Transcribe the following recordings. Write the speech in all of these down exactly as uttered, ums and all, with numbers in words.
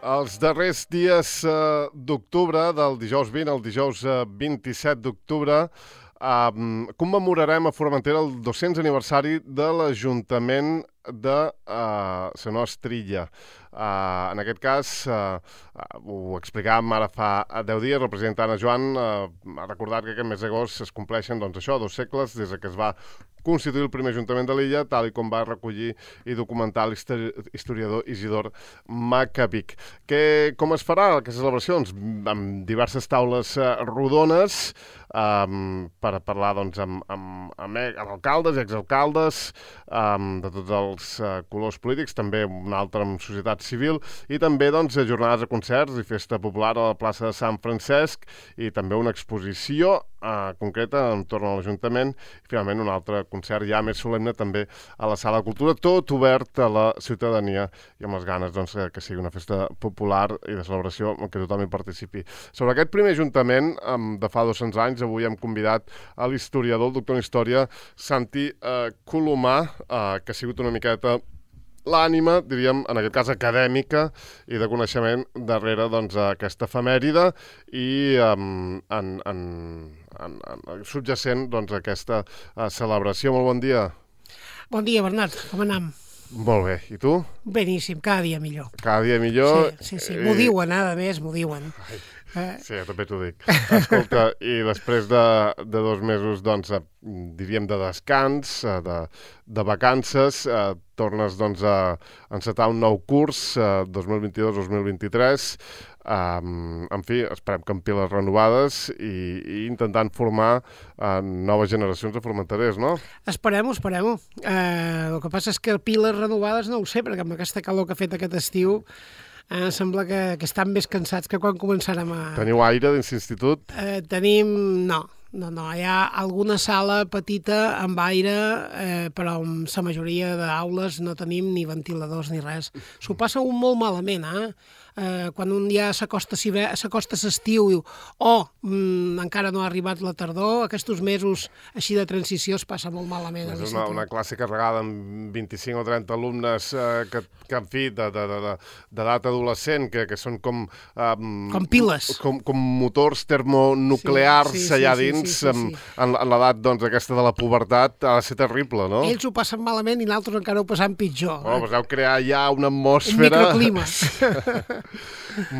Els darrers dies eh, d'octubre, del dijous vint al dijous eh, vint-i-set d'octubre, eh, commemorarem a Formentera el dos-cents aniversari de l'Ajuntament de uh, Senyor Estrilla. Uh, en aquest cas, uh, uh, ho explicàvem ara fa deu dies, el president Anna Joan uh, ha recordat que aquest mes d'agost es compleixen doncs, això, dos segles des que es va constituir el primer Ajuntament de l'illa, tal i com va recollir i documentar l'historiador Isidor Macabich. Que, com es farà aquestes celebracions? Amb diverses taules uh, rodones um, per a parlar doncs, amb, amb, amb, amb alcaldes i exalcaldes um, de tots els uh, colors polítics, també un altre amb societat civil, i també doncs, jornades de concerts i festa popular a la plaça de Sant Francesc, i també una exposició uh, concreta entorn a l'Ajuntament, i finalment un altre concert ja més solemne també a la Sala de Cultura, tot obert a la ciutadania i amb les ganes doncs, que sigui una festa popular i de celebració en què tothom hi participi. Sobre aquest primer Ajuntament um, de fa dos-cents anys, avui hem convidat a l'historiador, el doctor en Història, Santi uh, Colomà, uh, que ha sigut una miqueta l'ànima, diríem, en aquest cas acadèmica i de coneixement darrere doncs, aquesta efemèride i um, en, en, en, en, subjacent doncs, aquesta uh, celebració. Molt bon dia. Bon dia, Bernat. Com anem? Molt bé. I tu? Beníssim, cada dia millor. Cada dia millor. Sí, sí, sí. M'ho I... diuen, eh, a més, m'ho diuen. Ai. Sí, jo també t'ho dic. Escolta, i després de, de dos mesos, doncs, diríem, de descans, de, de vacances, eh, tornes, doncs, a encetar un nou curs, eh, dos mil vint-i-dos dos mil vint-i-tres, Um, en fi, esperem que amb piles renovades i, i intentant formar uh, noves generacions de formenterers, no? Esperem-ho, esperem-ho. Uh, el que passa és que piles renovades no ho sé, perquè amb aquesta calor que ha fet aquest estiu uh, sembla que, que estan més cansats que quan començarem a... Teniu aire dins l'institut? Uh, tenim... no. No, no, hi ha alguna sala petita amb aire, eh, però amb la majoria d'aules no tenim ni ventiladors ni res. S'ho passa un molt malament, eh? Eh, quan un ja s'acosta l'estiu i diu, oh, mm, encara no ha arribat la tardor, aquests mesos així de transició es passa molt malament. És una, una classe carregada amb vint-i-cinc o trenta alumnes eh, que, que, en fi, de, de, de, d'edat adolescent, que, que són com... Um, com piles. Com, com motors termonuclears sí, sí, allà sí, dins, sí, sí, sí, sí. En, en l'edat doncs, aquesta de la pubertat, ha de ser terrible, no? Ells ho passen malament i nosaltres encara ho passem pitjor. Oh, eh? Vau crear ja una atmosfera... Un microclima.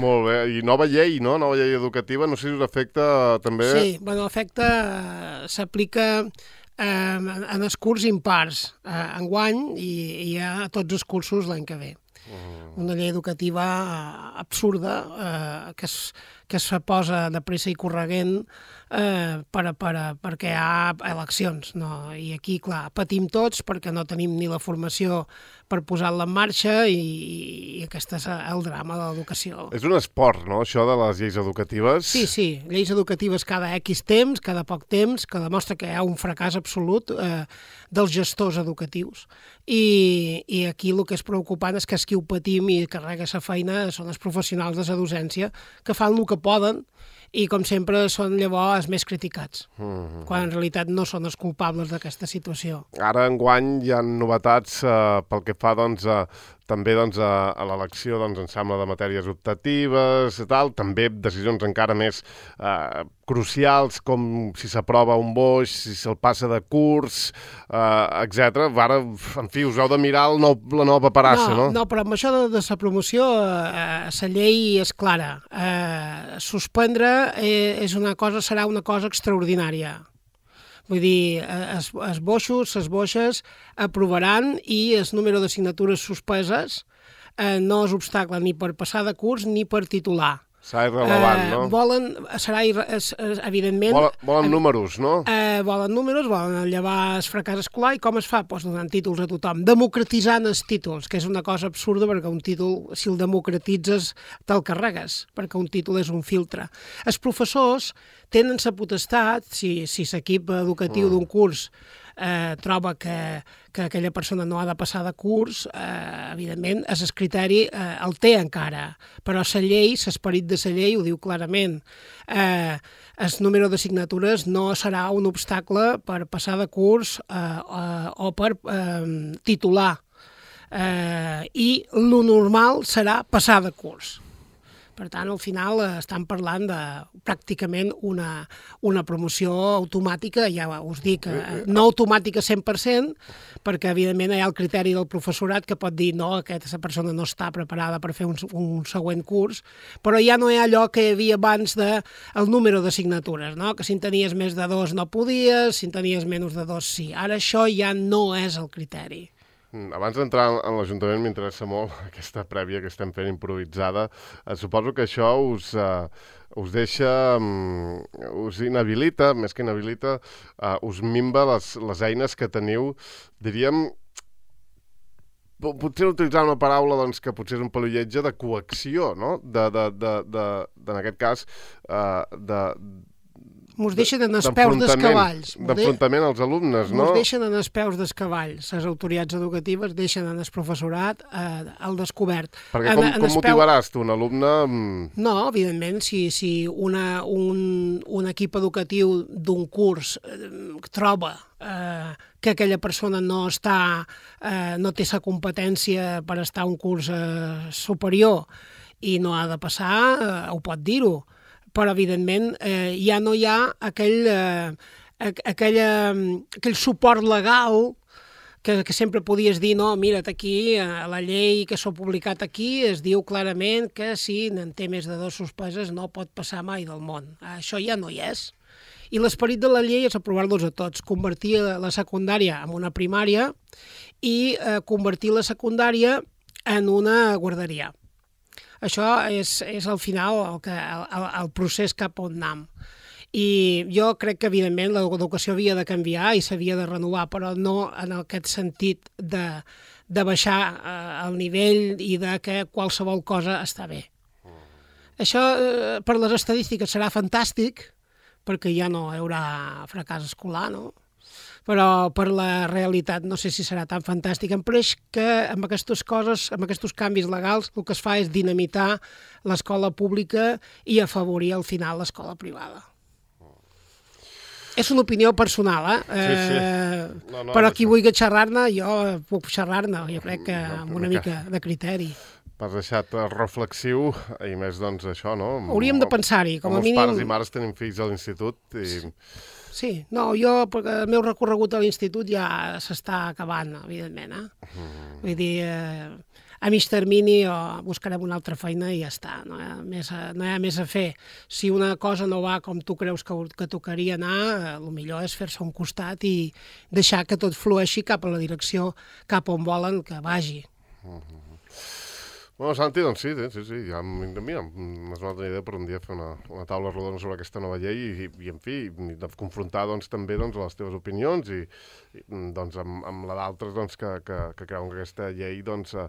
Molt bé, i nova llei, no? Nova llei educativa, no sé si us afecta també... Sí, bueno, l'efecte s'aplica eh, en els curs impars eh, enguany i, i a tots els cursos l'any que ve. Mm. Una llei educativa absurda eh, que, es, que es posa de pressa i corregent eh, per, per, perquè hi ha eleccions. No? I aquí, clar, patim tots perquè no tenim ni la formació per posar-la en marxa i, i aquest és el drama de l'educació. És un esport, no?, això de les lleis educatives. Sí, sí, lleis educatives cada X temps, cada poc temps, que demostra que hi ha un fracàs absolut eh, dels gestors educatius. I, I aquí el que és preocupant és que els qui ho patim i carrega la feina són els professionals de la docència que fan el que poden i, com sempre, són llavors els més criticats, mm-hmm. quan en realitat no són els culpables d'aquesta situació. Ara, enguany, hi ha novetats eh, pel que fa, doncs, a, també doncs, a, a l'elecció, doncs, em sembla, de matèries optatives i tal, també decisions encara més eh, crucials, com si s'aprova un boix, si se'l passa de curs, eh, etcètera. Ara, en fi, us heu de mirar el nou, la nova paperassa, no? No, no, però amb això de, de la promoció, eh, la llei és clara. Eh, suspendre eh, és una cosa, serà una cosa extraordinària. Vull dir, els boixos, les boixes aprovaran i el número de signatures suspeses eh, no és obstacle ni per passar de curs ni per titular. Serà irrellevant, no? Eh, volen, serà, evidentment... Volen, volen números, no? Eh, volen números, volen llevar el fracàs escolar, i com es fa? Pues donant títols a tothom, democratitzant els títols, que és una cosa absurda perquè un títol, si el democratitzes, te'l carregues, perquè un títol és un filtre. Els professors tenen la potestat, si, si l'equip educatiu mm. d'un curs eh, troba que, que aquella persona no ha de passar de curs, eh, evidentment, el criteri eh, el té encara, però la llei, l'esperit de la llei ho diu clarament. Eh, el número de signatures no serà un obstacle per passar de curs eh, eh, o per eh, titular. Eh, I lo normal serà passar de curs. Per tant, al final eh, estan parlant de pràcticament una, una promoció automàtica, ja us dic, eh, no automàtica cent per cent, perquè evidentment hi ha el criteri del professorat que pot dir no, aquesta persona no està preparada per fer un, un següent curs, però ja no hi ha allò que hi havia abans de el número d'assignatures, no? Que si en tenies més de dos no podies, si en tenies menys de dos sí. Ara això ja no és el criteri. Abans d'entrar en l'Ajuntament m'interessa molt aquesta prèvia que estem fent improvisada. Eh, suposo que això us, eh, us deixa, um, us inhabilita, més que inhabilita, eh, us minva les, les eines que teniu, diríem, potser utilitzar una paraula doncs, que potser és un pelilletge de coacció, no? De, de, de, de, de, en aquest cas, eh, de... Mos deixen en els peus dels cavalls. D'enfrontament als alumnes, no? Mos deixen en els peus dels cavalls. Les autoritats educatives deixen en el professorat eh, al descobert. Perquè com, com motivaràs tu un alumne? No, evidentment, si, si una, un, un equip educatiu d'un curs eh, troba eh, que aquella persona no està, eh, no té la competència per estar a un curs eh, superior i no ha de passar, eh, ho pot dir-ho. Però, evidentment, eh, ja no hi ha aquell, eh, aquella, aquell suport legal que, que sempre podies dir, no, mira't aquí, a la llei que s'ha publicat aquí es diu clarament que si n'en té més de dos suspeses no pot passar mai del món. Això ja no hi és. I l'esperit de la llei és aprovar-los a tots, convertir la secundària en una primària i eh, convertir la secundària en una guarderia. Això és, és al final el, que, el, el procés cap on anem. I jo crec que, evidentment, l'educació havia de canviar i s'havia de renovar, però no en aquest sentit de, de baixar eh, el nivell i de que qualsevol cosa està bé. Això, eh, per les estadístiques, serà fantàstic, perquè ja no hi haurà fracàs escolar, no? Però per la realitat no sé si serà tan fantàstic. Em pareix que amb aquestes coses, amb aquests canvis legals, el que es fa és dinamitar l'escola pública i afavorir al final l'escola privada. És una opinió personal, eh? Sí, sí. No, no, però qui no vulgui xerrar-ne, jo puc xerrar-ne, jo crec que amb una mica de criteri. M'has deixat reflexiu, i més doncs això, no? Hauríem de pensar-hi, com a mínim... Els pares i mares tenim fills a l'institut i... Sí, no, jo, perquè el meu recorregut a l'institut ja s'està acabant, evidentment, eh? Mm. Vull dir, eh, a mig termini o buscarem una altra feina i ja està, no hi ha més a, no hi ha més a fer. Si una cosa no va com tu creus que, que tocaria anar, eh, el millor és fer-se un costat i deixar que tot flueixi cap a la direcció, cap on volen que vagi. Mm-hmm. Bueno, Santi, doncs sí, sí, sí, ja mira, m'has donat una idea per un dia fer una, una taula rodona sobre aquesta nova llei i, i, i en fi, de confrontar doncs, també doncs, les teves opinions i, i doncs, amb, amb la d'altres doncs, que, que, que creuen que aquesta llei doncs, eh,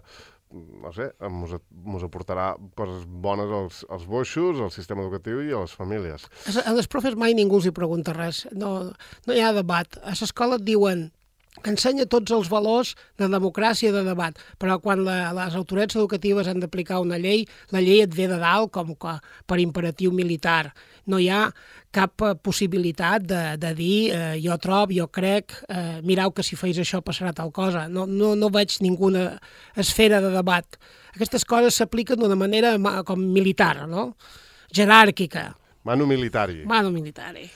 no sé, mos, mos aportarà coses bones als, als boixos, al sistema educatiu i a les famílies. A les profes mai ningú els hi pregunta res, no, no hi ha debat. A l'escola et diuen que ensenya tots els valors de democràcia i de debat, però quan la, les autoritats educatives han d'aplicar una llei, la llei et ve de dalt com que per imperatiu militar. No hi ha cap possibilitat de, de dir eh, jo trob, jo crec, eh, mireu que si feis això passarà tal cosa. No, no, no veig ninguna esfera de debat. Aquestes coses s'apliquen d'una manera com militar, no? Jeràrquica. Manu militari. Manu militari.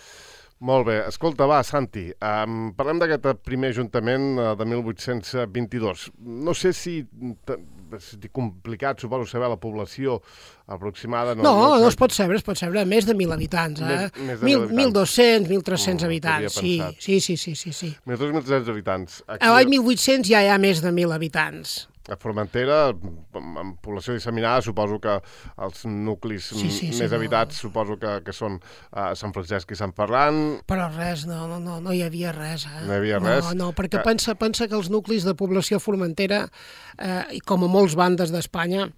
Molt bé. Escolta, va, Santi, um, parlem d'aquest primer ajuntament uh, de mil vuit-cents vint-i-dos. No sé si és complicat, suposo, saber la població aproximada. No, no, no, no es pot saber, es pot saber més de mil habitants, eh? Més, més de mil habitants. mil dos-cents, mil tres-cents mm, habitants, sí, sí, sí, sí, sí, sí. mil dos-cents, mil tres-cents habitants. Aquí... A l'any mil vuit-cents ja hi ha més de mil habitants. A Formentera, amb població disseminada, suposo que els nuclis sí, sí, sí, més sí, habitats, no. suposo que, que són uh, Sant Francesc i Sant Ferran. Però res, no, no, no, no hi havia res. Eh? No hi havia res? No, no, perquè que... pensa, pensa que els nuclis de població formentera, eh, com a molts bandes d'Espanya,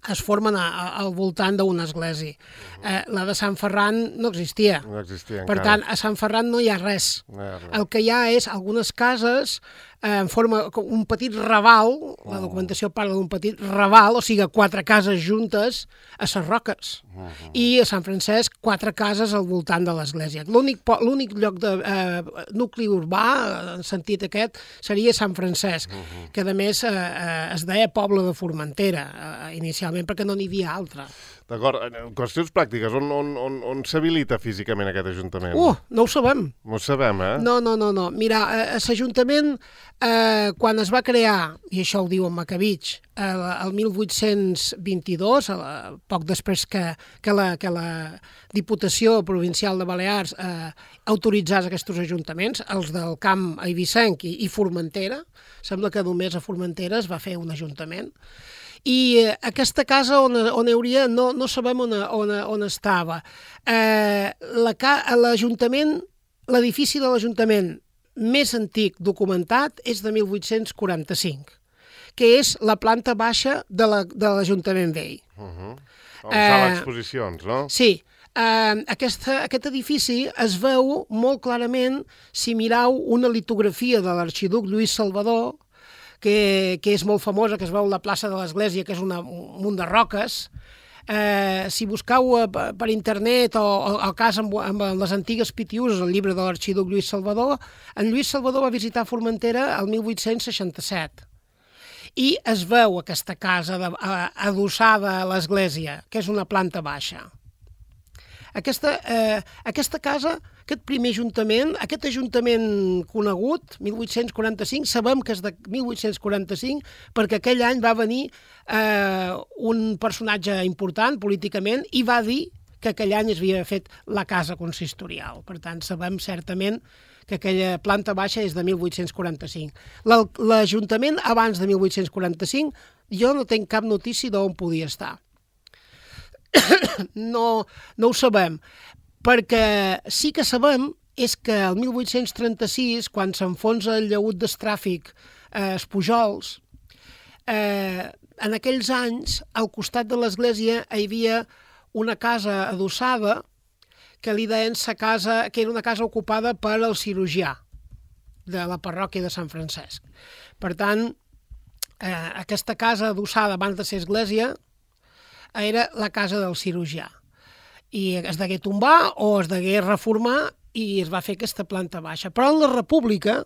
es formen a, a, al voltant d'una església. Eh, la de Sant Ferran no existia. No existia per encara. tant, a Sant Ferran no hi ha res. No hi ha res. El que hi ha és algunes cases eh, en forma un petit raval, oh. La documentació parla d'un petit raval, o sigui, quatre cases juntes a les roques. Oh. I a Sant Francesc, quatre cases al voltant de l'església. L'únic lloc de eh, nucli urbà, en sentit aquest, seria Sant Francesc, oh. que a més eh, eh, es deia poble de Formentera, eh, inicialment, perquè no n'hi havia altra. D'acord. Qüestions pràctiques. On, on, on, on s'habilita físicament aquest Ajuntament? Uh, no ho sabem. No ho sabem, eh? No, no, no. no. Mira, eh, l'Ajuntament, eh, quan es va crear, i això ho diu en Macavitx, eh, el mil vuit-cents vint-i-dos, eh, poc després que, que, la, que la Diputació Provincial de Balears eh, autoritzés aquests ajuntaments, els del Camp Eivissenc i, i Formentera, sembla que només a Formentera es va fer un ajuntament, i eh, aquesta casa on, on hi hauria, no, no sabem on, on, on estava. Eh, L'Ajuntament, l'edifici de l'Ajuntament més antic documentat és de mil vuit-cents quaranta-cinc, que és la planta baixa de l'Ajuntament vell. Uh-huh. On eh, sala d'exposicions, no? Sí. Uh, aquesta, aquest edifici es veu molt clarament si mireu una litografia de l'arxiduc Lluís Salvador, que, que és molt famosa, que es veu a la plaça de l'Església, que és una, un munt de roques. Eh, si busqueu uh, per internet o, o el cas amb, amb les antigues pitiuses, el llibre de l'arxiduc Lluís Salvador, en Lluís Salvador va visitar Formentera el mil vuit-cents seixanta-set. I es veu aquesta casa de, uh, adossada a l'església, que és una planta baixa. Aquesta, eh, aquesta casa, aquest primer ajuntament, aquest ajuntament conegut, mil vuit-cents quaranta-cinc, sabem que és de mil vuit-cents quaranta-cinc perquè aquell any va venir eh, un personatge important políticament i va dir que aquell any es havia fet la casa consistorial. Per tant, sabem certament que aquella planta baixa és de mil vuit-cents quaranta-cinc. L'Ajuntament, abans de mil vuit-cents quaranta-cinc, jo no tinc cap notícia d'on podia estar. No, no ho sabem, perquè sí que sabem és que el mil vuit-cents trenta-sis, quan s'enfonsa el llaüt d'Estràfic a eh, Pujols, eh, en aquells anys, al costat de l'església hi havia una casa adossada que li deien sa casa, que era una casa ocupada per al cirurgià de la parròquia de Sant Francesc. Per tant, eh, aquesta casa adossada abans de ser església era la casa del cirurgià. I es degué tombar o es degué reformar i es va fer aquesta planta baixa. Però en la República,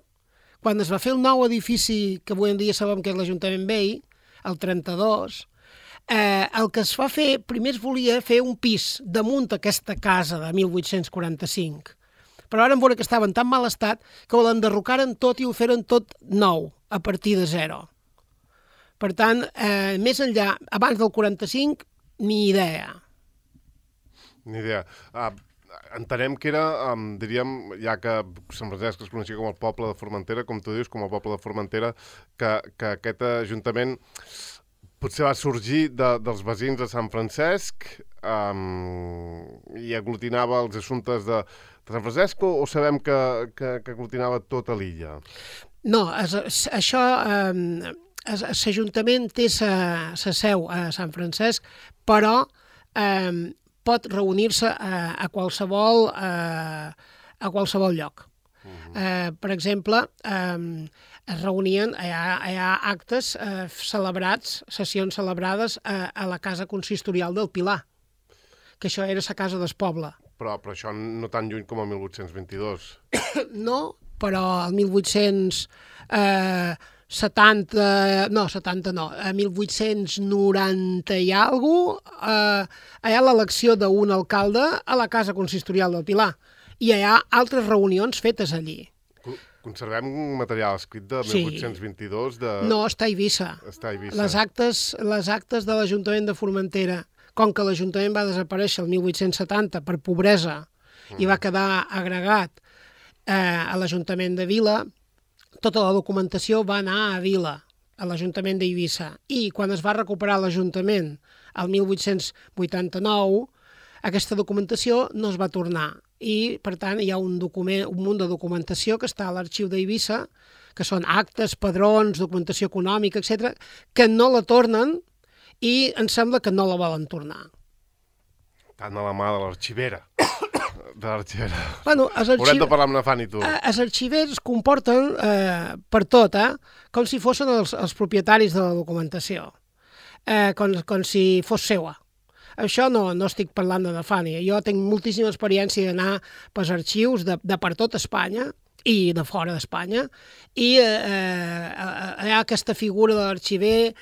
quan es va fer el nou edifici que avui en dia sabem que és l'Ajuntament vell, el trenta-dos, eh, el que es va fer, primer es volia fer un pis damunt aquesta casa de mil vuit-cents quaranta-cinc. Però ara em veure que estava en tan mal estat que l'enderrocaren tot i ho feren tot nou, a partir de zero. Per tant, eh, més enllà, abans del quaranta-cinc, ni idea. Ni idea. Uh, entenem que era, um, diríem, ja que Sant Francesc es coneixia com el poble de Formentera, com tu dius, com el poble de Formentera, que, que aquest ajuntament potser va sorgir de, dels veïns de Sant Francesc um, i aglutinava els assumptes de, de Sant Francesc o, o sabem que, que, que aglutinava tota l'illa? No, es, es, això... Um... L'Ajuntament té sa, sa seu a Sant Francesc, però eh, pot reunir-se a, a, qualsevol, a, a qualsevol lloc. Uh-huh. eh, per exemple, eh, es reunien, hi ha, hi ha actes eh, celebrats, sessions celebrades a, a la casa consistorial del Pilar, que això era la casa del poble. Però, però això no tan lluny com el mil vuit-cents vint-i-dos. No, però el mil vuit-cents... Eh, setanta, no, setanta no, a mil vuit-cents noranta i alguna cosa, eh, hi ha l'elecció d'un alcalde a la casa consistorial del Pilar i hi ha altres reunions fetes allí. Conservem un material escrit de mil vuit-cents vint-i-dos? De... No, està a Eivissa. Està a Eivissa. Les actes, les actes de l'Ajuntament de Formentera, com que l'Ajuntament va desaparèixer el mil vuit-cents setanta per pobresa mm. i va quedar agregat eh, a l'Ajuntament de Vila, tota la documentació va anar a Vila, a l'Ajuntament d'Eivissa. I quan es va recuperar l'Ajuntament el mil vuit-cents vuitanta-nou, aquesta documentació no es va tornar. I, per tant, hi ha un, document, un munt de documentació que està a l'arxiu d'Eivissa, que són actes, padrons, documentació econòmica, etcètera, que no la tornen i em sembla que no la volen tornar. Tant a la mà de l'arxivera. De l'arxivera. Bueno, arxiv... Haurem de parlar amb la Fanny, tu. Els arxivers es comporten eh, per tot, eh? Com si fossin els, els propietaris de la documentació, eh, com, com si fos seua. Això no, no estic parlant de la Fanny. Jo tinc moltíssima experiència d'anar pels arxius de, de per tot Espanya i de fora d'Espanya, i eh, eh, hi ha aquesta figura de l'arxiver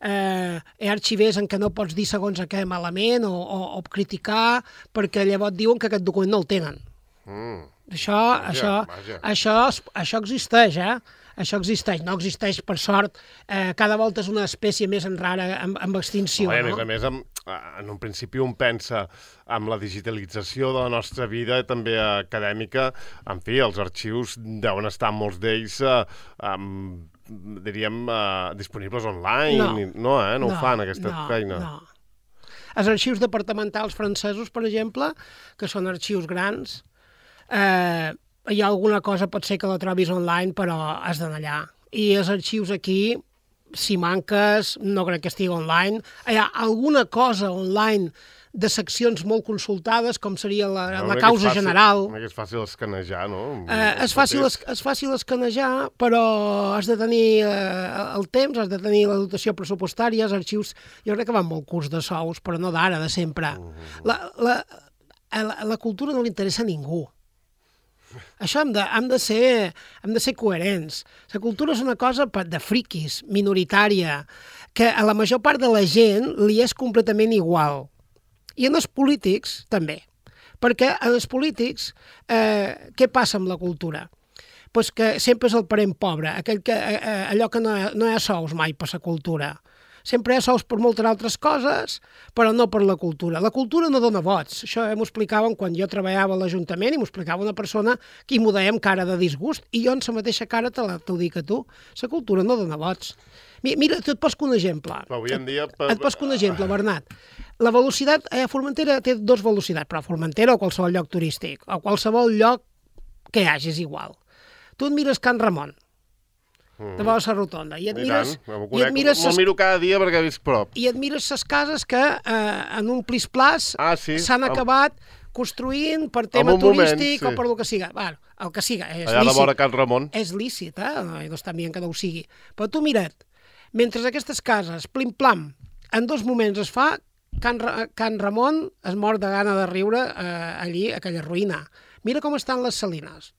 eh, hi ha arxivers en què no pots dir segons a què malament o, o, o criticar, perquè llavors diuen que aquest document no el tenen. Mm. Això, Vaja, això, vaja. això, això existeix, eh? Això existeix. No existeix, per sort. Eh, cada volta és una espècie més en rara, amb, amb extinció, no? A més no? a més, amb, en un principi un pensa amb la digitalització de la nostra vida, també acadèmica, en fi, els arxius deuen estar molts d'ells, eh, amb, diríem, eh, disponibles online. No, I, no, eh? no, no ho fan, aquesta no, feina. No. Els arxius departamentals francesos, per exemple, que són arxius grans, eh, hi ha alguna cosa, pot ser que la trobis online, però has d'anar allà. I els arxius aquí, si manques, no crec que estigui online. Hi ha alguna cosa online de seccions molt consultades, com seria la, No, la causa fàcil, general. És fàcil escanejar, no? Eh, és, fàcil, és fàcil escanejar, però has de tenir eh, el temps, has de tenir la dotació pressupostària, els arxius, jo crec que van molt curts de sous, però no d'ara, de sempre. Uh -huh. la, la, la, la cultura no li interessa a ningú. Això hem de, hem, de ser, hem de ser coherents. La cultura és una cosa de friquis, minoritària, que a la major part de la gent li és completament igual. I en els polítics, també. Perquè en els polítics, eh, què passa amb la cultura? Pues que sempre és el parent pobre, aquell que, eh, allò que no, no hi ha sous mai per la cultura. Sempre hi ha sous per moltes altres coses, però no per la cultura. La cultura no dona vots. Això m'ho explicaven quan jo treballava a l'Ajuntament i m'ho explicava una persona que m'ho deia amb cara de disgust i jo en la mateixa cara t'ho dic a tu. La cultura no dona vots. Mira, tu et poso un exemple. Avui en dia... Et, et poso un exemple, Bernat. La velocitat, a Formentera té dos velocitats, però a Formentera o qualsevol lloc turístic, o qualsevol lloc que hi hagi, és igual. Tu et mires Can Ramon, de la rotonda, i et mires... I et mires Me'l miro cada dia perquè visc prop. I et mires les cases que eh, en un plis-plas ah, sí? s'han acabat construint per tema moment, turístic sí. o per el que siga. Bueno, el que siga, és allà lícit. Allà de vora Can Ramon. És lícit, eh? No, no està dient que no ho sigui. Però tu mira't, mentre aquestes cases, plim-plam, en dos moments es fa, Can, Ra Can Ramon es mor de gana de riure eh, allí, a aquella ruïna. Mira com estan les Salines.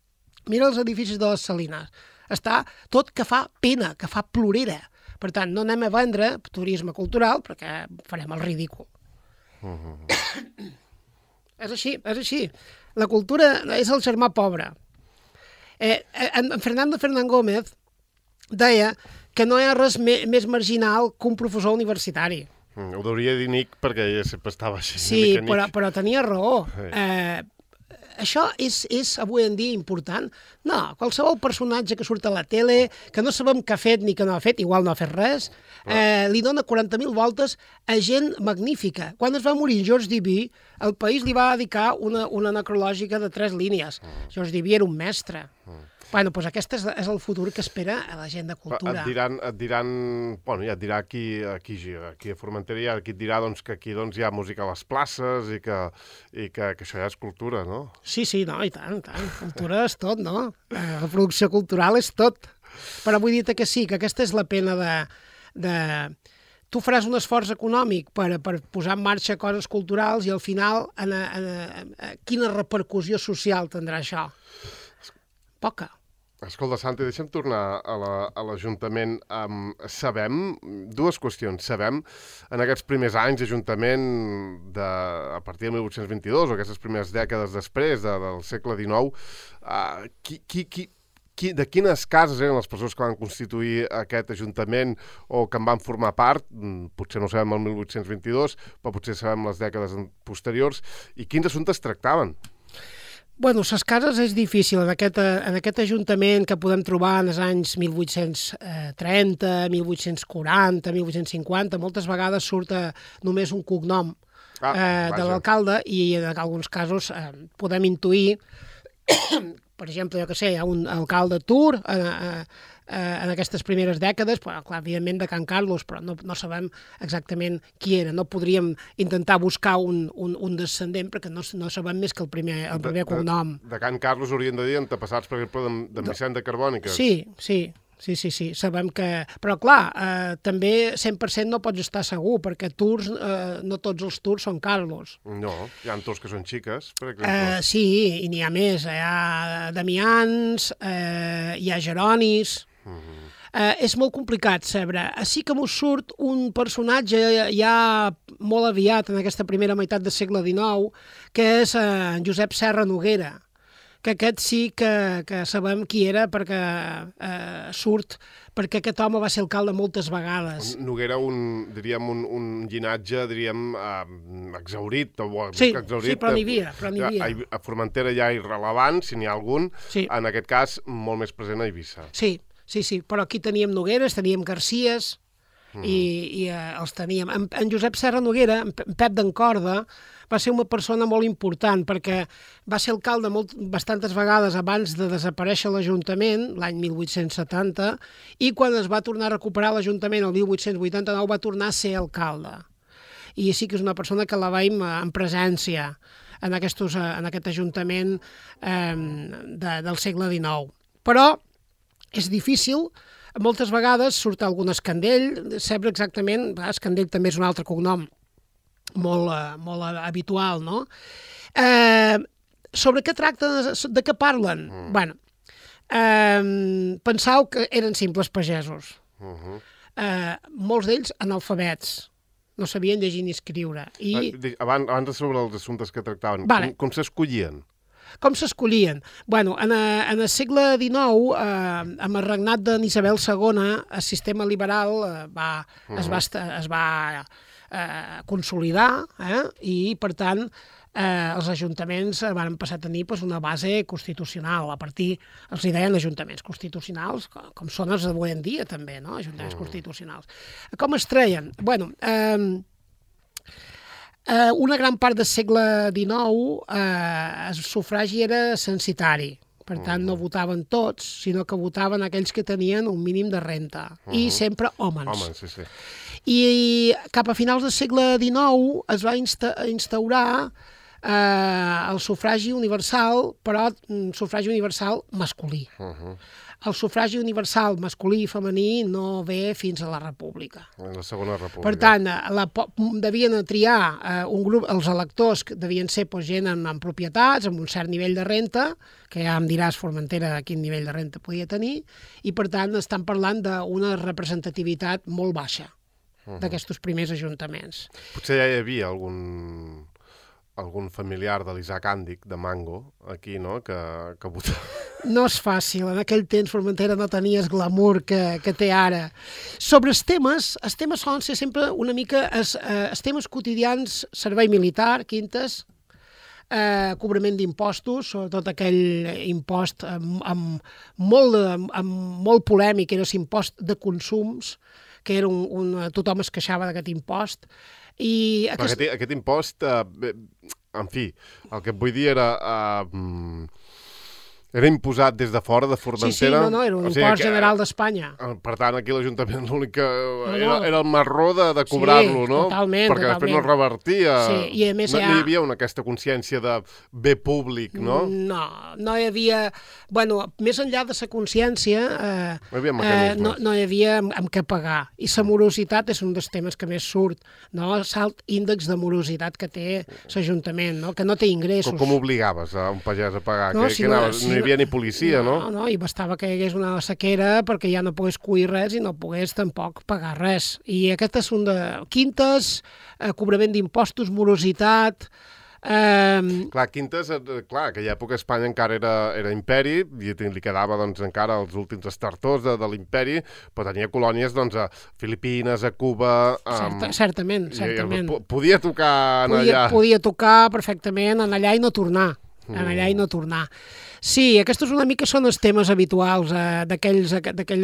Mira els edificis de les Salines. Està tot que fa pena, que fa plorera. Per tant, no anem a vendre turisme cultural perquè farem el ridícul. Uh -huh. És així, és així. La cultura és el germà pobre. Eh, en Fernando Fernán Gómez deia que no hi ha res més marginal que un professor universitari. Mm, ho deuria dir Nick perquè ella sempre estava així. Sí, però, però tenia raó. Eh, això és, és avui en dia important? No, qualsevol personatge que surt a la tele, que no sabem què ha fet ni què no ha fet, igual no ha fet res, eh, li dona quaranta mil voltes a gent magnífica. Quan es va morir George Duby, el país li va dedicar una, una necrològica de tres línies. Mm. George Duby era un mestre. Mm. Bueno, doncs aquest és, és el futur que espera a la gent de cultura. Et diran, et diran, bueno, ja et dirà aquí, aquí, aquí a Formentera, ja aquí et dirà doncs, que aquí doncs, hi ha música a les places i, que, i que, que això ja és cultura, no? Sí, sí, no, i tant, i tant. Cultura és tot, no? La producció cultural és tot. Però vull dir-te que sí, que aquesta és la pena de... de... Tu faràs un esforç econòmic per, per posar en marxa coses culturals i al final en, en, en, en, quina repercussió social tindrà això? Poca. Escolta, Santi, deixa'm tornar a l'Ajuntament. La, um, sabem, dues qüestions, sabem en aquests primers anys d'Ajuntament de, a partir de mil vuit-cents vint-i-dos o aquestes primeres dècades després de, del segle dinou, uh, qui, qui, qui, qui, de quines cases eren les persones que van constituir aquest Ajuntament o que en van formar part? Potser no ho sabem el mil vuit-cents vint-i-dos, però potser sabem les dècades posteriors. I quins assumptes tractaven? Bueno, les cases és difícil. En aquest, en aquest ajuntament que podem trobar en els anys mil vuit-cents trenta, mil vuit-cents quaranta, mil vuit-cents cinquanta, moltes vegades surt només un cognom ah, eh, de l'alcalde i en alguns casos eh, podem intuir, per exemple, jo que sé, hi ha un alcalde Tur eh, eh, en aquestes primeres dècades, però, clar, evidentment de Can Carlos, però no, no sabem exactament qui era. No podríem intentar buscar un, un, un descendent perquè no, no sabem més que el primer, el primer de, cognom. De, de Can Carlos haurien de dir antepassats, per exemple, de, de Vicent de Carbòniques. Sí, sí. Sí, sí, sí, sabem que... Però, clar, eh, també cent per cent no pots estar segur, perquè Tours, eh, no tots els Tours són Carlos. No, hi ha Tours que són xiques, per exemple. Eh, sí, i n'hi ha més. Hi ha Damians, eh, hi ha Jeronis... Uh-huh. eh, és molt complicat saber. Sí que m'ho surt un personatge ja molt aviat en aquesta primera meitat del segle dinou, que és eh, en Josep Serra Noguera, que aquest sí que, que sabem qui era perquè eh, surt, perquè aquest home va ser alcalde moltes vegades. Noguera, un, diríem, un, un llinatge, diríem, eh, exaurit. O, sí, exaurit, sí, però n'hi havia. Però n'hi havia. A, a Formentera ja irrelevant, si n'hi ha algun, sí. En aquest cas molt més present a Eivissa. Sí, sí, sí, però aquí teníem Nogueres, teníem Garcies, mm. i, i eh, els teníem. En, en Josep Serra Noguera, en Pep d'Encorda, va ser una persona molt important perquè va ser alcalde molt, bastantes vegades abans de desaparèixer l'Ajuntament, l'any mil vuit-cents setanta, i quan es va tornar a recuperar l'Ajuntament el mil vuit-cents vuitanta-nou va tornar a ser alcalde. I sí que és una persona que la veiem en presència en, aquestos, en aquest Ajuntament eh, de, del segle dinou. Però és difícil, moltes vegades surt algun escandell, saber exactament, escandell també és un altre cognom, molt, molt habitual, no? Eh, sobre què tracta, de què parlen? Mm. Bueno, eh, pensau que eren simples pagesos. Uh -huh. eh, molts d'ells analfabets, no sabien llegir ni escriure. I... Abans, abans de sobre els assumptes que tractaven, vale. com, com s'escollien? Com s'escollien? Bueno, en, a, en el segle dinou, eh, amb el regnat d'Isabel segona, el sistema liberal eh, va, uh -huh. es va, es va eh, consolidar, eh, i, per tant, eh, els ajuntaments van passar a tenir pues, una base constitucional. A partir, els hi deien ajuntaments constitucionals, com, com són els d'avui en dia, també, no? Ajuntaments uh -huh. constitucionals. Com es treien? Bueno... Eh, Uh, una gran part del segle dinou uh, el sufragi era censitari, per tant no votaven tots, sinó que votaven aquells que tenien un mínim de renta, uh -huh. i sempre homes. Homes, sí, sí. I cap a finals del segle dinou es va insta instaurar uh, el sufragi universal, però un sufragi universal masculí. Uh -huh. El sufragi universal masculí i femení no ve fins a la República. En la Segona República. Per tant, la, devien triar eh, un grup, els electors que devien ser pues, gent amb, amb propietats, amb un cert nivell de renta, que ja em diràs, Formentera, quin nivell de renta podia tenir, i per tant estan parlant d'una representativitat molt baixa uh -huh. d'aquests primers ajuntaments. Potser ja hi havia algun... algun familiar de l'Isaac Àndic, de Mango, aquí, no?, que, que votava. No és fàcil, en aquell temps Formentera no tenia el glamour que, que té ara. Sobre els temes, els temes solen ser sempre una mica els, eh, els temes quotidians, servei militar, quintes, eh, cobrament d'impostos, sobretot aquell impost amb, amb, molt, amb, amb molt polèmic, era l'impost de consums, que era un, un, tothom es queixava d'aquest impost. I aquest... Aquest, aquest impost, eh, en fi, el que et vull dir era... Eh, era imposat des de fora, de Formentera? Sí, sí, no, no, era un o sigui, impost que, general d'Espanya. Per tant, aquí l'Ajuntament l'únic que... No, era, no. era el marró de, de cobrar-lo, sí, no? Totalment, perquè totalment. després no revertia. Sí, i a més no, ja... no hi havia una, aquesta consciència de bé públic, no? No, no hi havia... Bueno, més enllà de la consciència, eh, no hi havia mecanismes. Eh, no, no hi havia amb, amb què pagar. I la morositat és un dels temes que més surt, no? El alt índex de morositat que té l'Ajuntament, no? Que no té ingressos. Com, com obligaves a un pagès a pagar? No, que, si que no, anava, si no hi havia ni policia, no? No, no, i bastava que hi hagués una sequera perquè ja no pogués cuir res i no pogués tampoc pagar res. I aquest és un de quintes, eh, cobrament d'impostos, morositat... Eh... Clar, quintes, clar, en aquella època Espanya encara era, era imperi i li quedava doncs, encara els últims estertors de, de l'imperi, però tenia colònies doncs, a Filipines, a Cuba... Um, Certa, certament, certament. I, podia tocar en podia, allà. Podia tocar perfectament en allà i no tornar. En allà i no tornar. Sí, aquests una mica són els temes habituals eh, d'aquells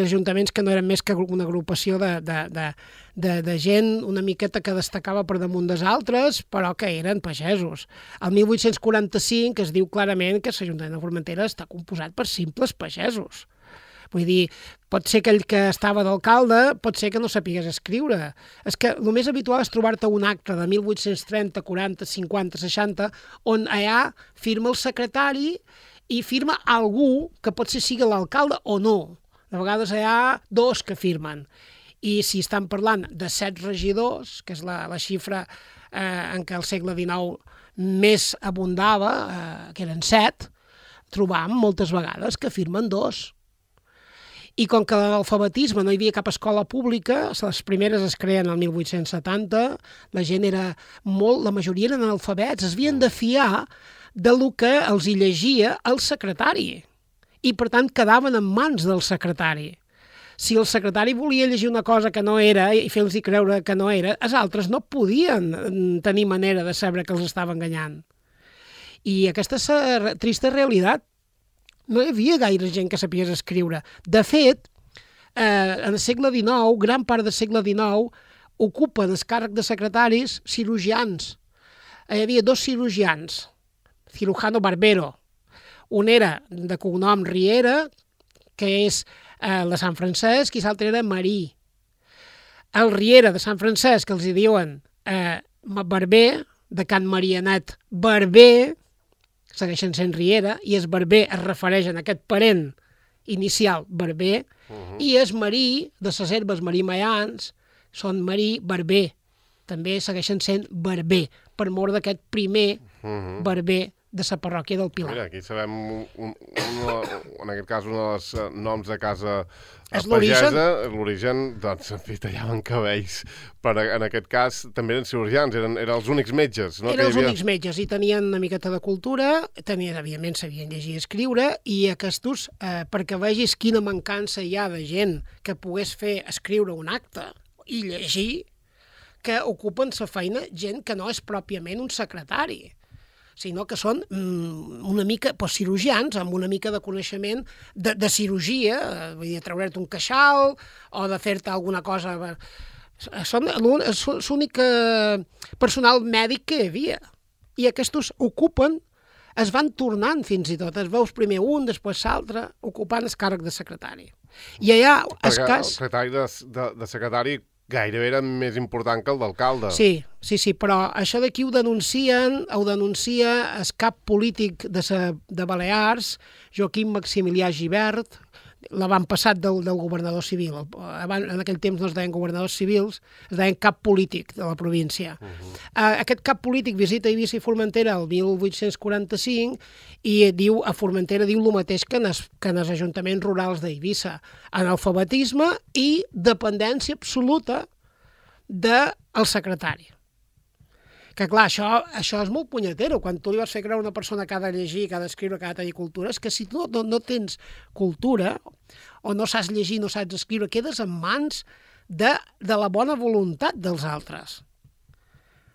ajuntaments que no eren més que una agrupació de, de, de, de, de gent una miqueta que destacava per damunt dels altres, però que eren pagesos. El mil vuit-cents quaranta-cinc es diu clarament que l'Ajuntament de Formentera està composat per simples pagesos. Vull dir, pot ser que ell que estava d'alcalde, pot ser que no sapigués escriure. És que el més habitual és trobar-te un acte de mil vuit-cents trenta, quaranta, cinquanta, seixanta, on allà firma el secretari i firma algú que potser sigui l'alcalde o no. De vegades hi ha dos que firmen. I si estan parlant de set regidors, que és la, la xifra eh, en què el segle dinou més abundava, eh, que eren set, trobam moltes vegades que firmen dos. I com que l'alfabetisme no hi havia cap escola pública, les primeres es creen el mil vuit-cents setanta, la gent era molt, la majoria eren analfabets, es havien de fiar de lo que els hi llegia el secretari. I, per tant, quedaven en mans del secretari. Si el secretari volia llegir una cosa que no era i fer-los creure que no era, els altres no podien tenir manera de saber que els estava enganyant. I aquesta és la trista realitat. No hi havia gaire gent que sapies escriure. De fet, eh, en el segle dinou, gran part del segle dinou, ocupen el càrrec de secretaris cirurgians. Hi havia dos cirurgians, cirujano Barbero. Un era de cognom Riera, que és eh, de Sant Francesc, i l'altre era Marí. El Riera de Sant Francesc, que els hi diuen eh, Barber, de Can Marianet Barber, segueixen sent Riera, i es Barber es refereix a aquest parent inicial Barber, uh -huh. i es Marí, de les herbes Marí Mayans, són Marí Barber. També segueixen sent Barber, per mort d'aquest primer uh -huh. Barber de la parròquia del Pilar. Mira, aquí sabem, un, un, un, en aquest cas, un dels noms de casa és pagesa, l'origen, doncs, en fi, tallaven cabells, però en aquest cas també eren cirurgians, eren, eren els únics metges. No? Eren els havia... únics metges i tenien una miqueta de cultura, tenien, evidentment, sabien llegir i escriure, i aquests, eh, perquè vegis quina mancança hi ha de gent que pogués fer escriure un acte i llegir, que ocupen la feina gent que no és pròpiament un secretari, sinó que són mm, una mica pues, cirurgians amb una mica de coneixement de, de cirurgia, vull dir, treure't un queixal o de fer-te alguna cosa. Són l'únic personal mèdic que hi havia. I aquests ocupen, es van tornant fins i tot. Es veus primer un, després l'altre, ocupant el càrrec de secretari. I allà, el cas... El secretari de, de, de secretari gairebé era més important que el d'alcalde. Sí, sí, sí, però això d'aquí ho denuncien, ho denuncia el cap polític de, sa, de Balears, Joaquim Maximilià Gibert, l'avantpassat del, del governador civil. Abans, en aquell temps no es deien governadors civils, es deien cap polític de la província. Uh -huh. uh, aquest cap polític visita Eivissa i Formentera el mil vuit-cents quaranta-cinc i diu, a Formentera diu el mateix que en els, que en els ajuntaments rurals d'Eivissa. Analfabetisme i dependència absoluta del secretari. Que clar, això, això és molt punyetero. Quan tu li vas fer creure a una persona que ha de llegir, que ha d'escriure, que ha de tenir cultura, és que si tu no, no tens cultura o no saps llegir, no saps escriure, quedes en mans de, de la bona voluntat dels altres.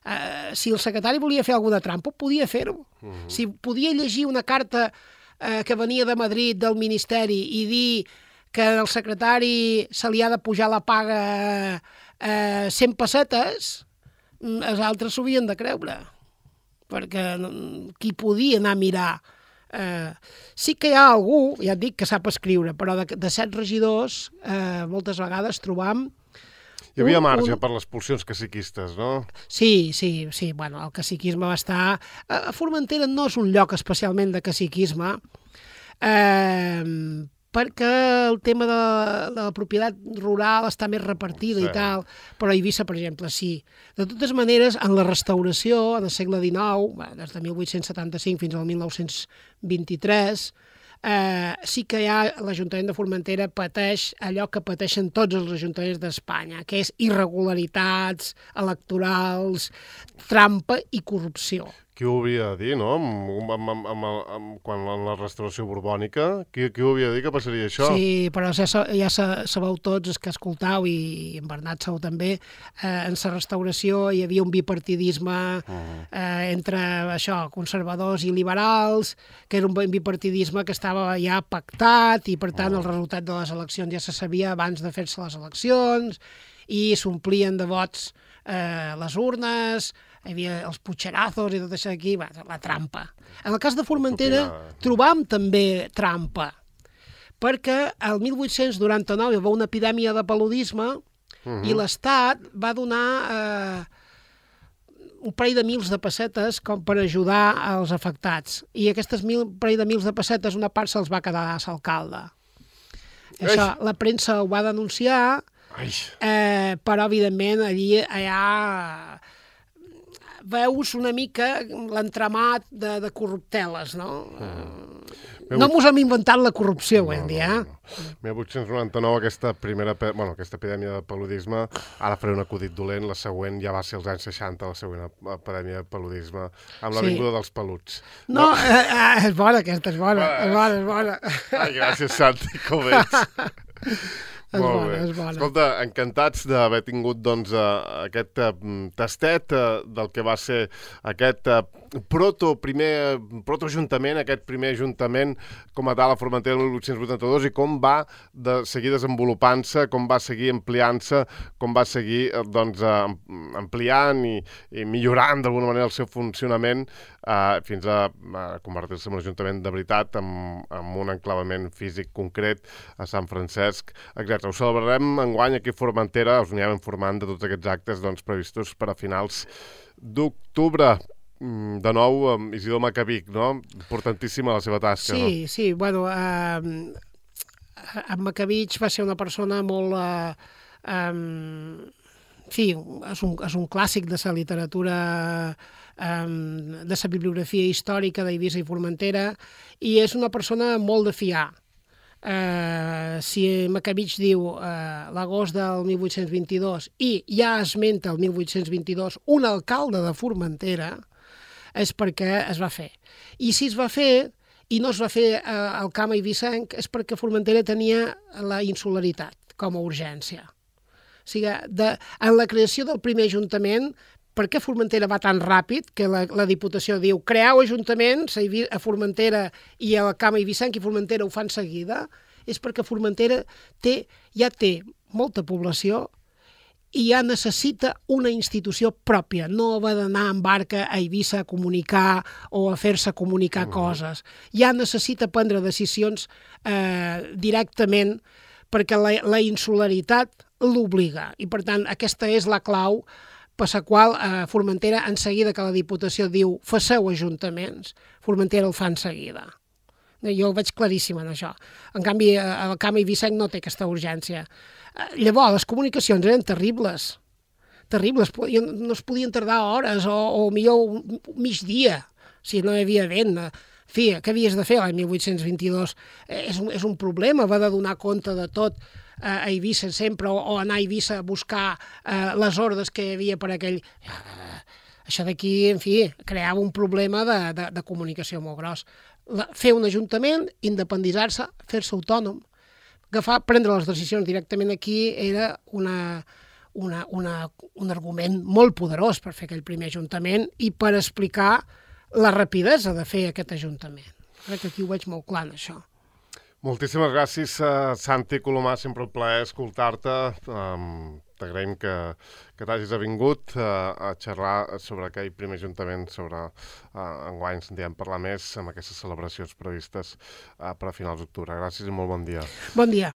Uh, si el secretari volia fer alguna trampa, podia fer-ho. Uh -huh. Si podia llegir una carta uh, que venia de Madrid, del Ministeri, i dir que al secretari se li ha de pujar la paga uh, cent pessetes, els altres s'ho havien de creure, perquè qui podia anar a mirar. Eh, sí que hi ha algú, ja et dic, que sap escriure, però de, de set regidors eh, moltes vegades trobam... Hi havia un, marge un... per les pulsions caciquistes, no? Sí, sí, sí, bueno, el caciquisme va estar... A Formentera no és un lloc especialment de caciquisme, eh, perquè el tema de, de la propietat rural està més repartida sí. i tal, però a Eivissa, per exemple, sí. De totes maneres, en la restauració, en el segle dinou, des de mil vuit-cents setanta-cinc fins al mil nou-cents vint-i-tres, eh, sí que ja l'Ajuntament de Formentera pateix allò que pateixen tots els ajuntaments d'Espanya, que és irregularitats electorals, trampa i corrupció. Qui ho havia de dir, no? Amb, amb, amb, amb, amb, quan en la restauració borbònica, qui, qui ho havia de dir que passaria això? Sí, però ja, ja sabeu tots, els que escoltau, i en Bernat sabeu també, eh, en la restauració hi havia un bipartidisme uh -huh. eh, entre això, conservadors i liberals, que era un bipartidisme que estava ja pactat, i per tant uh -huh. el resultat de les eleccions ja se sabia abans de fer-se les eleccions, i s'omplien de vots eh, les urnes, hi havia els putxerazos i tot això aquí, va, la trampa. En el cas de Formentera trobam també trampa, perquè el mil vuit-cents noranta-nou hi va una epidèmia de paludisme uh -huh. i l'Estat va donar eh, un parell de mils de pessetes com per ajudar als afectats. I aquestes mil, parell de mils de pessetes, una part se'ls va quedar a l'alcalde. Això, la premsa ho va denunciar, eh, però evidentment allí allà veus una mica l'entramat de, de corrupteles, no? Uh -huh. No mos hem inventat la corrupció, ho hem dit, eh? No, no. mil vuit-cents noranta-nou, aquesta primera, bueno, aquesta epidèmia de paludisme, ara faré un acudit dolent, la següent ja va ser als anys seixanta, la següent epidèmia de paludisme, amb la vinguda dels peluts. No, no. Eh, eh, és bona aquesta, és bona, és bona, és bona. Ai, gràcies, Santi, com ets. És Molt bona, bé. és bona. Escolta, encantats d'haver tingut doncs, uh, aquest uh, tastet uh, del que va ser aquest uh, proto primer protoajuntament, aquest primer ajuntament com a tal a Formentera el mil vuit-cents vuitanta-dos i com va de seguir desenvolupant-se, com va seguir ampliant-se, com va seguir uh, doncs, uh, ampliant i, i millorant d'alguna manera el seu funcionament uh, fins a uh, convertir-se en un ajuntament de veritat amb, amb un enclavament físic concret a Sant Francesc, etcètera. Ho celebrarem enguany aquí a Formentera, us anirem informant de tots aquests actes doncs, previstos per a finals d'octubre. De nou, amb Isidor Macavic, no? Importantíssima la seva tasca, sí, no? Sí, sí, bueno, eh, en Macavic va ser una persona molt... Eh, eh, sí, és un, és un clàssic de la literatura, eh, de la bibliografia històrica d'Eivissa i Formentera, i és una persona molt de fiar. Uh, si Macavic diu uh, l'agost del mil vuit-cents vint-i-dos i ja esmenta el mil vuit-cents vint-i-dos un alcalde de Formentera, és perquè es va fer. I si es va fer, i no es va fer uh, al Camp eivissenc, és perquè Formentera tenia la insularitat com a urgència. O sigui, de, en la creació del primer ajuntament, per què Formentera va tan ràpid que la, la Diputació diu creau ajuntaments a Formentera i al Camp eivissenc i Formentera ho fan seguida? És perquè Formentera té, ja té molta població i ja necessita una institució pròpia. No va d'anar en barca a Eivissa a comunicar o a fer-se comunicar uh-huh. coses. Ja necessita prendre decisions eh, directament perquè la, la insularitat l'obliga. I, per tant, aquesta és la clau per la qual eh, Formentera, en seguida que la Diputació diu faceu ajuntaments, Formentera el fa en seguida. Jo ho veig claríssim en això. En canvi, el Camp eivissenc no té aquesta urgència. Eh, llavors, les comunicacions eren terribles. Terribles. No es podien tardar hores o, o millor migdia, si no hi havia vent. En fi, què havies de fer l'any mil vuit-cents vint-i-dos? Eh, és, un, és un problema, va de donar compte de tot a Eivissa sempre, o, o anar a Eivissa a buscar eh, les ordres que hi havia per aquell... Eh, això d'aquí, en fi, creava un problema de, de, de comunicació molt gros. La, fer un ajuntament, independitzar-se, fer-se autònom, agafar, prendre les decisions directament aquí era una, una, una, un argument molt poderós per fer aquell primer ajuntament i per explicar la rapidesa de fer aquest ajuntament. Crec que aquí ho veig molt clar, això. Moltíssimes gràcies, uh, Santi Colomà, sempre un plaer escoltar-te. Um, T'agraïm que, que t'hagis vingut uh, a xerrar sobre aquell primer ajuntament, sobre uh, enguany sentirem parlar més amb aquestes celebracions previstes uh, per a finals d'octubre. Gràcies i molt bon dia. Bon dia.